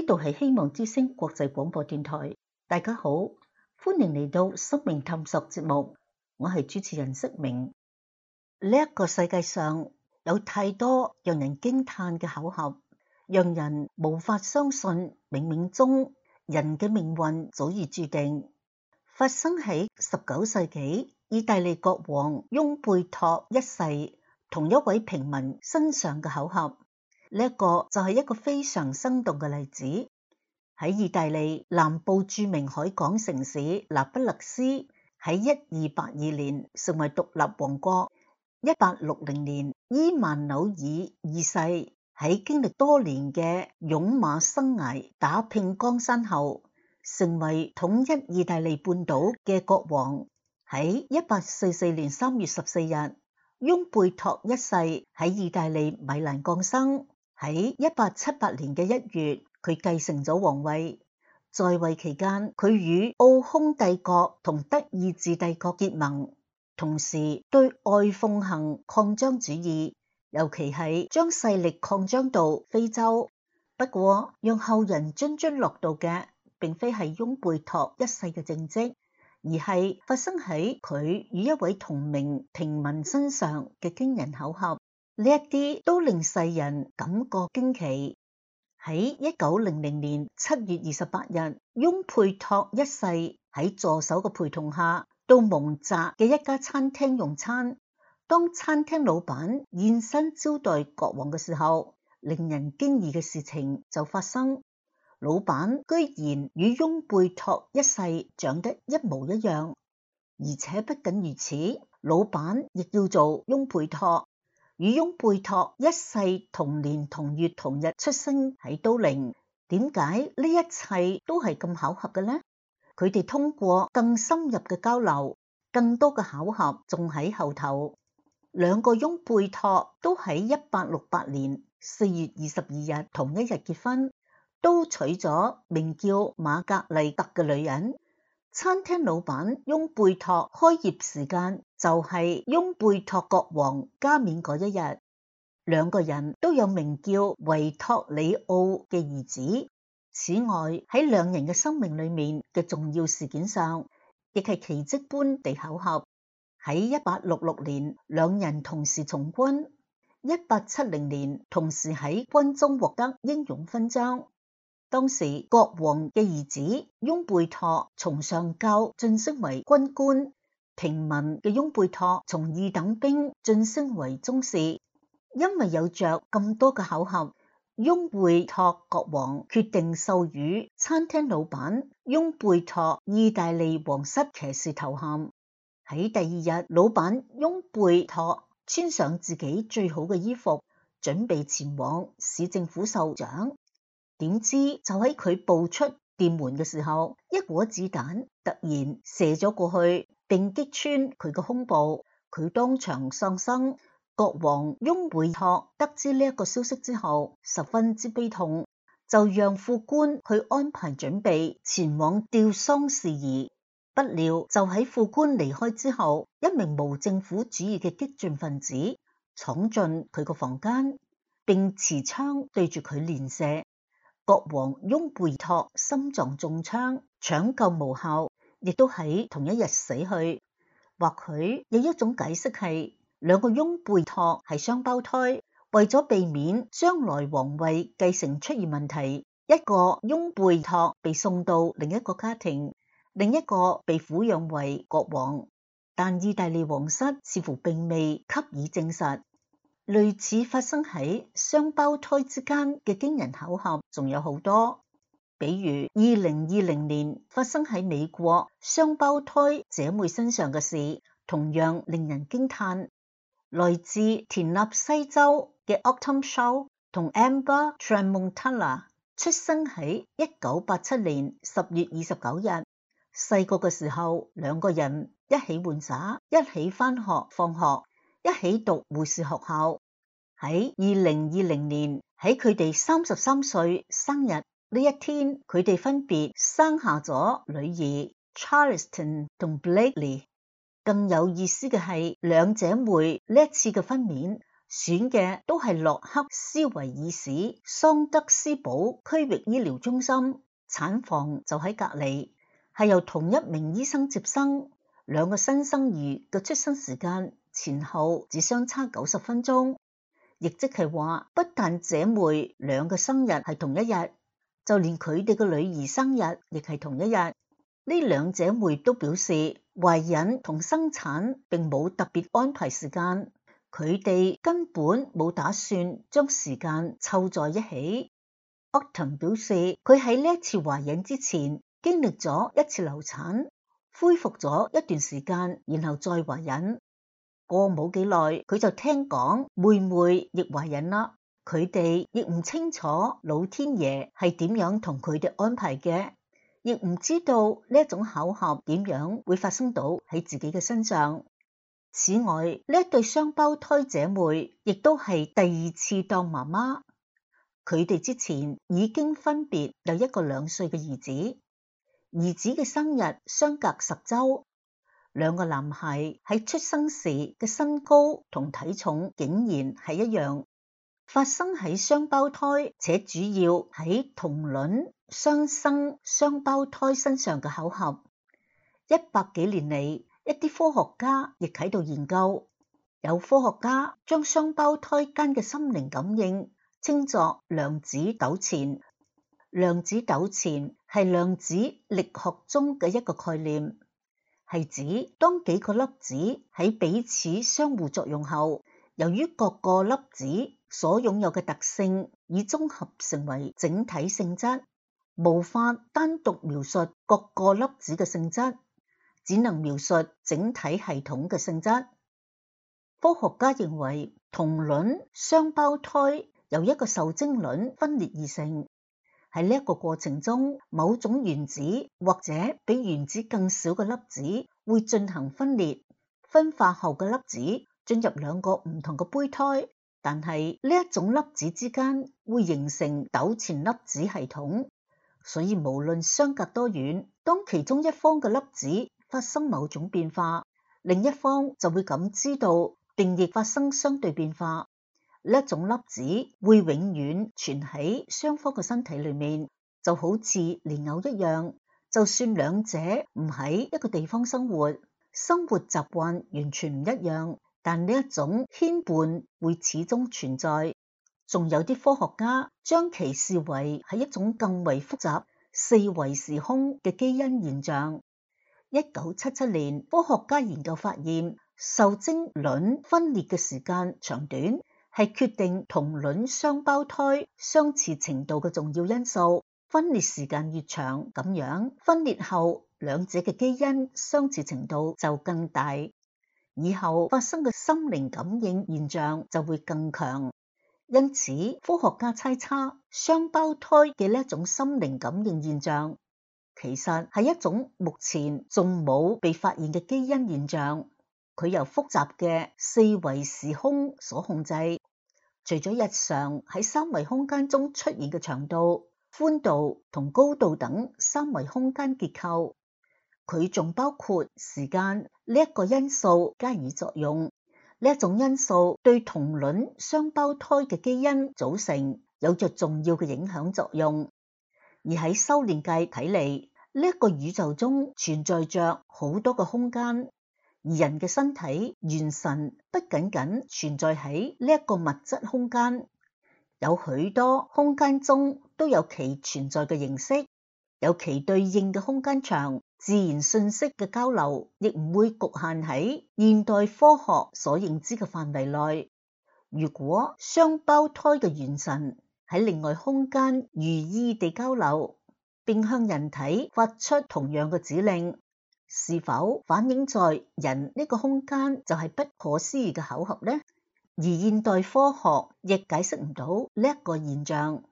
度係希望之聲國際廣播電台，大家好，歡迎嚟到生命探索節目，我係主持人釋明。呢一個世界上有太多讓人驚嘆嘅巧合，讓人無法相信冥冥中人嘅命運早已注定。發生喺19世紀意大利國王翁貝托一世同一位平民身上嘅巧合，呢一個就係一個非常生動嘅例子。喺意大利南部著名海港城市那不勒斯，喺1282年成為獨立王國。1860年，伊萬紐爾二世喺經歷多年嘅勇馬生涯打拼江山後，成為統一意大利半島嘅國王。喺1844年3月14日，翁貝托一世喺意大利米蘭降生。喺1878年嘅1月，佢繼承咗皇位。在位期間，佢與奧匈帝國同德意志帝國結盟，同時對外奉行擴張主義，尤其係將勢力擴張到非洲。不過，讓後人津津樂道嘅並非係翁貝托一世嘅政績，而係發生喺佢與一位同名平民身上嘅驚人巧合。呢一啲都令世人感覺驚奇。喺1900年7月28日，翁貝托一世喺助手嘅陪同下到蒙澤嘅一家餐廳用餐。當餐廳老闆現身招待國王嘅時候，令人驚異嘅事情就發生。老闆居然與翁貝托一世長得一模一樣，而且不僅如此，老闆亦叫做翁貝托，與翁貝托一世同年同月同日出生喺都靈。點解呢一切都係咁巧合嘅呢？佢哋通過更深入嘅交流，更多嘅巧合仲喺後頭。兩個翁貝托都喺1868年4月22日同一日結婚，都娶咗名叫瑪格麗特嘅女人。餐廳老闆翁貝托開業時間就係翁貝托國王加冕嗰一日。兩個人都有名叫維托里奧嘅兒子。此外，喺兩人嘅生命裏面嘅重要事件上，亦係奇蹟般地巧合。喺1866年，兩人同時從軍；1870年，同時喺軍中獲得英勇勳章。當時國王嘅兒子翁貝托從上校晉升為軍官，平民嘅翁貝托從二等兵晉升為中士。因為有着咁多嘅巧合，翁貝托國王決定授予餐廳老闆翁貝托意大利皇室騎士頭銜。喺第二日，老闆翁貝托穿上自己最好嘅衣服，準備前往市政府受獎。點知就喺佢步出店門嘅時候，一顆子彈突然射咗過去，並擊穿佢嘅胸部，佢當場喪生。國王翁貝托得知呢一個消息之後，十分之悲痛，就讓副官去安排準備前往吊喪事宜。不料就喺副官離開之後，一名無政府主義嘅激進分子闖進佢個房間，並持槍對住佢連射。國王翁貝托心臟中槍，搶救無效，亦都喺同一日死去。或許有一種解釋係，兩個翁貝托係雙胞胎，為咗避免將來皇位繼承出現問題，一個翁貝托被送到另一個家庭，另一個被撫養為國王。但意大利皇室似乎並未給予證實。類似發生喺雙胞胎之間嘅驚人巧合仲有好多，比如2020年發生喺美國雙胞胎姐妹身上嘅事，同樣令人驚嘆。來自田納西州嘅 Autumn Shaw 同 Amber Tramontana 出生喺1987年10月29日。細個嘅時候，兩個人一起玩耍，一起返學放學，一起讀護士學校。喺2020年，喺佢哋33歲生日呢一天，佢哋分別生下咗女兒 Charleston 同 Blakely。更有意思嘅係，兩姐妹呢一次嘅分娩選嘅都係洛克斯維爾市桑德斯堡區域醫療中心，產房就喺隔離，係由同一名醫生接生。兩個新生兒嘅出生時間前後只相差90分鐘，亦即係話，不但姐妹兩個生日係同一日，就連佢哋嘅女兒生日亦係同一日。呢兩姐妹都表示，懷孕同生產並冇特別安排時間，佢哋根本冇打算將時間湊在一起。Autumn 表示，佢喺呢一次懷孕之前經歷咗一次流產，恢復咗一段時間，然後再懷孕。過冇幾耐，佢就聽講妹妹亦懷孕啦。佢哋亦唔清楚老天爺係點樣同佢哋安排嘅，亦唔知道呢一種巧合點樣會發生到喺自己嘅身上。此外，呢一對雙胞胎姐妹亦都係第二次當媽媽。佢哋之前已經分別有一個2歲嘅兒子，兒子嘅生日相隔10週。兩個男孩喺出生時嘅身高同體重竟然係一樣，發生喺雙胞胎且主要喺同卵雙生雙胞胎身上嘅巧合。100幾年嚟，一啲科學家亦喺度研究，有科學家將雙胞胎間嘅心靈感應稱作量子糾纏。量子糾纏係量子力學中嘅一個概念，係指當幾個粒子喺彼此相互作用後，由於各個粒子所擁有嘅特性已綜合成為整體性質，無法單獨描述各個粒子嘅性質，只能描述整體系統嘅性質。科學家認為同卵雙胞胎由一個受精卵分裂而成。喺呢一個過程中，某種原子或者比原子更小嘅粒子會進行分裂，分化後嘅粒子進入2個唔同嘅胚胎，但係呢一種粒子之間會形成糾纏粒子系統，所以無論相隔多遠，當其中一方嘅粒子發生某種變化，另一方就會感知到並亦發生相對變化。呢一種粒子會永遠存喺雙方嘅身體裏面，就好似蓮藕一樣。就算兩者唔喺一個地方生活，生活習慣完全唔一樣，但呢一種牽絆會始終存在。仲有啲科學家將其視為係一種更為複雜4維時空嘅基因現象。1977年，科學家研究發現，受精卵分裂嘅時間長短係決定同卵雙胞胎相似程度嘅重要因素。分裂時間越長，咁樣分裂後兩者嘅基因相似程度就更大，以後發生嘅心靈感應現象就會更強。因此，科學家猜測雙胞胎嘅呢一種心靈感應現象，其實係一種目前仲冇被發現嘅基因現象。佢由複雜嘅4維時空所控制。除咗日常喺3維空間中出現嘅長度、寬度同高度等3維空間結構，佢仲包括時間呢一個因素加以作用。呢一種因素對同卵雙胞胎嘅基因組成有着重要嘅影響作用。而喺修煉界睇嚟，呢一個宇宙中存在着好多個空間。而人嘅身體元神不僅僅存在喺呢一個物質空間，有許多空間中都有其存在嘅形式，有其對應嘅空間場。自然信息嘅交流亦唔會局限喺現代科學所認知嘅範圍內。如果雙胞胎嘅元神喺另外空間如意地交流，並向人體發出同樣嘅指令，是否反映在人呢個空間就係不可思議嘅巧合呢？而現代科學亦解釋唔到呢一個現象。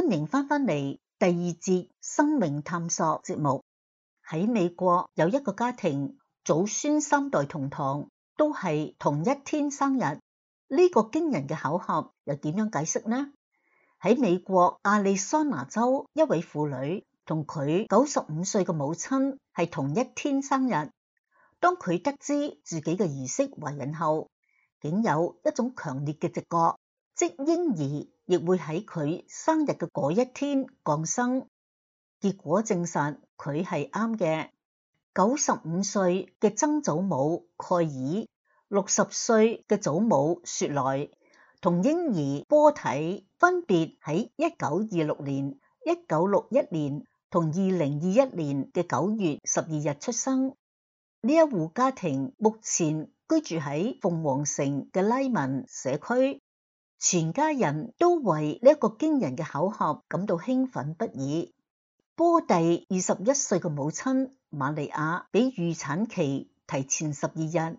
歡迎返嚟第二節生命探索節目。喺美國有一個家庭，祖孫3代同堂，都係同一天生日。呢個驚人嘅巧合又點樣解釋呢？喺美國亞利桑那州，一位婦女同佢95歲嘅母親係同一天生日。當佢得知自己嘅兒媳懷孕後，竟有一種強烈嘅直覺，即嬰兒亦會喺佢生日嘅嗰一天降生。結果證實佢係啱嘅。95歲嘅曾祖母蓋爾、60歲嘅祖母雪萊同嬰兒波體分別喺1926年、1961年同2021年嘅9月12日出生。呢一戶家庭目前居住喺鳳凰城嘅拉文社區，全家人都為呢一個驚人嘅巧合感到興奮不已。波蒂21歲嘅母親瑪利亞比預產期提前12日，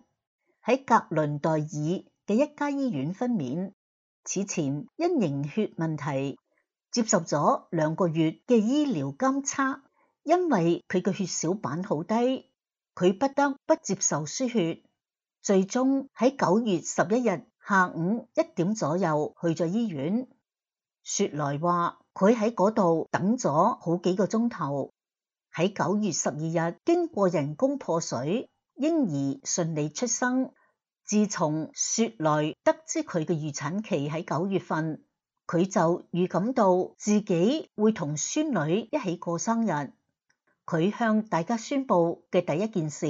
喺格倫代爾嘅一家醫院分娩。此前因凝血問題接受咗2個月嘅醫療監測，因為佢嘅血小板好低，佢不得不接受輸血。最終喺9月11日下午1點左右去咗醫院。雪萊話佢喺嗰度等咗好幾個鐘頭。喺9月12日經過人工破水，嬰兒順利出生。自從雪萊得知佢嘅預產期喺9月份，佢就預感到自己會同孫女一起過生日。佢向大家宣佈嘅第一件事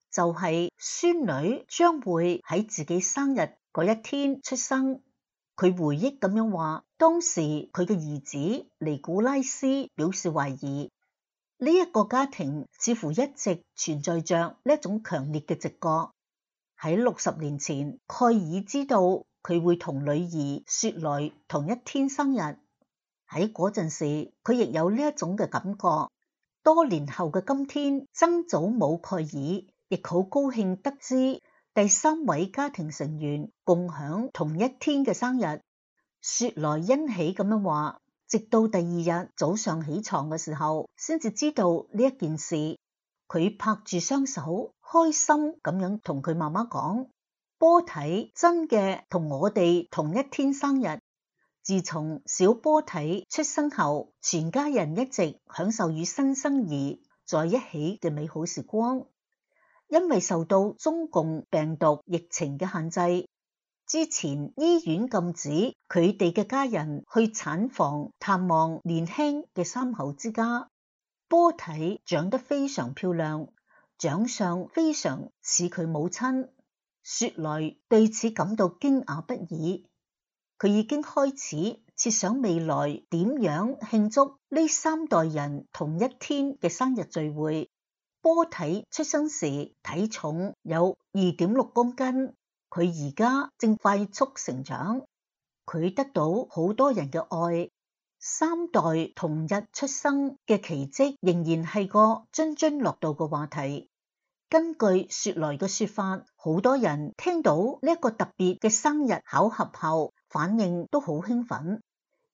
就係孫女將會喺自己生日嗰一天出生。佢回憶咁樣話，當時佢嘅兒子尼古拉斯表示懷疑。呢一個家庭似乎一直存在着呢一種強烈嘅直覺。喺60年前，蓋爾知道佢會同女兒雪萊同一天生日。喺嗰陣時，佢亦有呢一種嘅感覺。多年後嘅今天，曾祖母蓋爾亦好高興得知第3位家庭成員共享同一天嘅生日。雪萊欣喜咁樣話，直到第2日早上起床嘅時候，先至知道呢一件事。佢拍住雙手，開心咁樣同佢媽媽講：波體真嘅同我哋同一天生日。自從小波體出生後，全家人一直享受與新生兒在一起嘅美好時光。因為受到中共病毒疫情嘅限制，之前醫院禁止佢哋嘅家人去產房探望年輕嘅3口之家。波體長得非常漂亮，長相非常似佢母親。雪萊對此感到驚訝不已。佢已經開始設想未來點樣慶祝呢3代人同一天嘅生日聚會。波體出生時體重有2.6公斤，佢而家正快速成長。佢得到好多人嘅愛。3代同日出生嘅奇蹟仍然係個津津樂道嘅話題。根據雪萊嘅說法，好多人聽到呢一個特別嘅生日巧合後，反應都好興奮。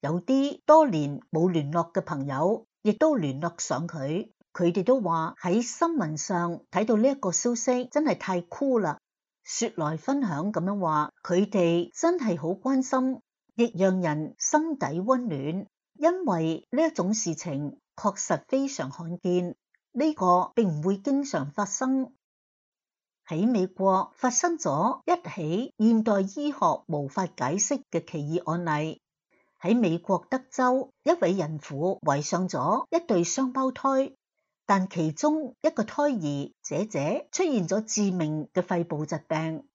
有啲多年冇聯絡嘅朋友亦都聯絡上佢，佢哋都話喺新聞上睇到呢一個消息真係太酷啦。雪萊分享咁樣話，佢哋真係好關心，亦讓人心底溫暖。因為呢一種事情確實非常罕見，呢個並唔會經常發生。喺美國發生咗一起現代醫學無法解釋嘅奇異案例。喺美國德州，一位孕婦懷上咗一對雙胞胎，但其中一個胎兒姐姐出現咗致命嘅肺部疾病，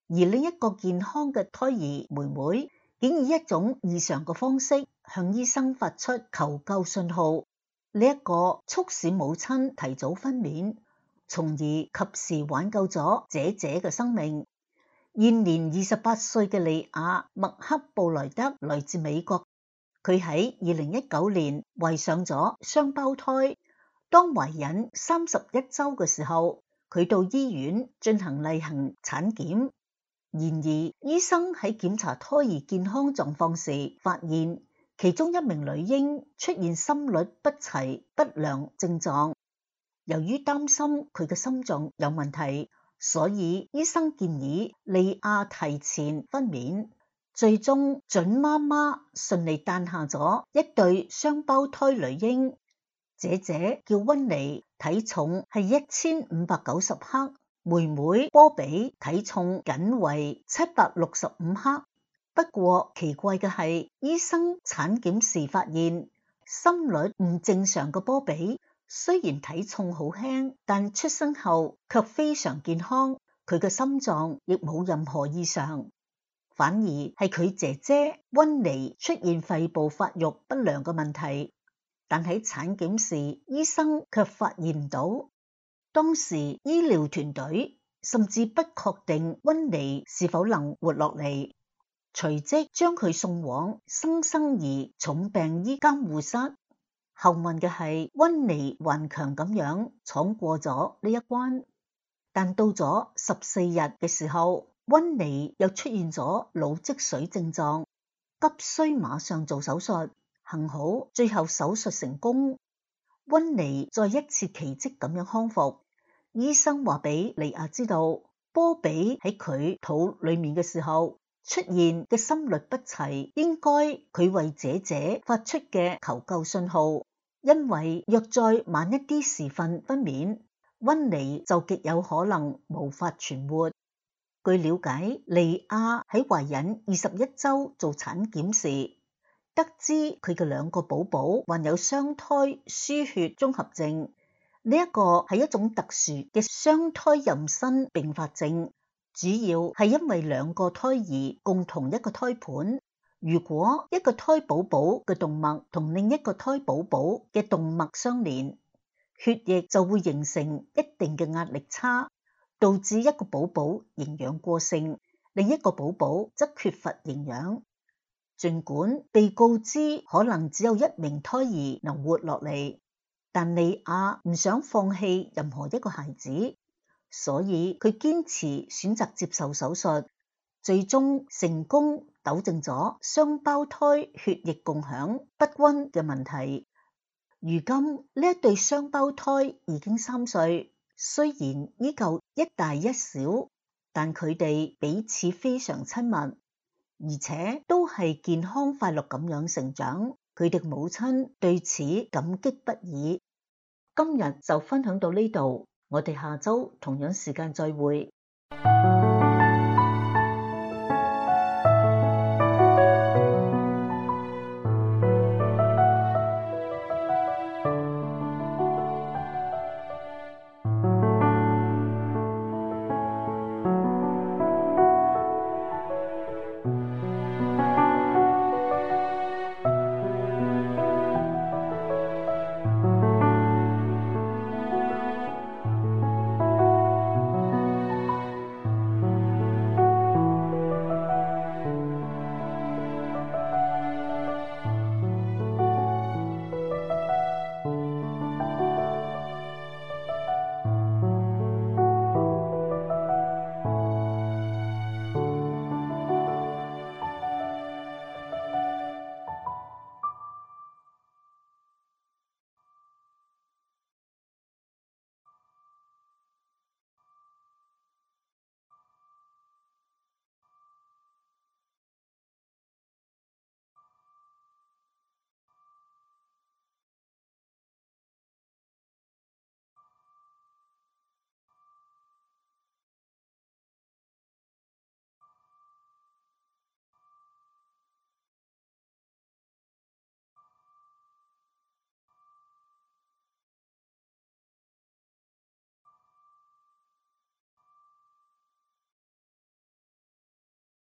而另一個健康嘅胎兒妹妹竟以一種異常嘅方式向醫生發出求救信號。呢一個促使母親提早分娩，從而及時挽救咗姐姐嘅生命。現年28歲嘅利亞麥克布萊德來自美國，佢喺2019年懷上咗雙胞胎。當懷孕31週嘅時候，佢到醫院進行例行產檢。然而，醫生喺檢查胎兒健康狀況時，發現其中一名女嬰出現心律不齊不良症狀，由於擔心佢嘅心臟有問題，所以醫生建議莉亞提前分娩，最終準媽媽順利誕下咗一對雙胞胎女嬰。姐姐叫溫妮，體重係1590克，妹妹波比體重僅為765克。不過奇怪嘅係，醫生產檢時發現心率唔正常嘅波比，雖然體重好輕，但出生後卻非常健康，佢嘅心臟亦冇任何異常，反而係佢姐姐溫妮出現肺部發育不良嘅問題。但喺產檢時，醫生卻發現唔到。當時醫療團隊甚至不確定溫妮是否能活落嚟，隨即將佢送往新生兒重病醫監護室。幸運嘅係，溫妮頑強咁樣闖過咗呢一關。但到咗14日嘅時候，溫妮又出現咗腦積水症狀，急需馬上做手術。幸好最後手術成功，溫妮再一次奇蹟咁樣康復。醫生話俾莉亞知道，波比喺佢肚裏面嘅時候出現嘅心律不齊，應該佢為姐姐發出嘅求救信號，因為若再晚一啲時分分娩，溫妮就極有可能無法存活。據了解，莉亞喺懷孕21週做產檢時，得知佢嘅2個寶寶患有雙胎輸血綜合症，呢一個係一種特殊嘅雙胎妊娠併發症，主要係因為2個胎兒共同一個胎盤，如果一個胎寶寶嘅動脈同另一個胎寶寶嘅動脈相連，血液就會形成一定嘅壓力差，導致一個寶寶營養過剩，另一個寶寶則缺乏營養。儘管被告知可能只有1名胎兒能活落嚟，但莉亞唔想放棄任何一個孩子，所以佢堅持選擇接受手術，最終成功糾正咗雙胞胎血液共享不均嘅問題。如今呢一對雙胞胎已經3歲，雖然依舊一大一小，但佢哋彼此非常親密，而且都係健康快樂咁樣成長，佢哋母親對此感激不已。今日就分享到呢度，我哋下週同樣時間再會。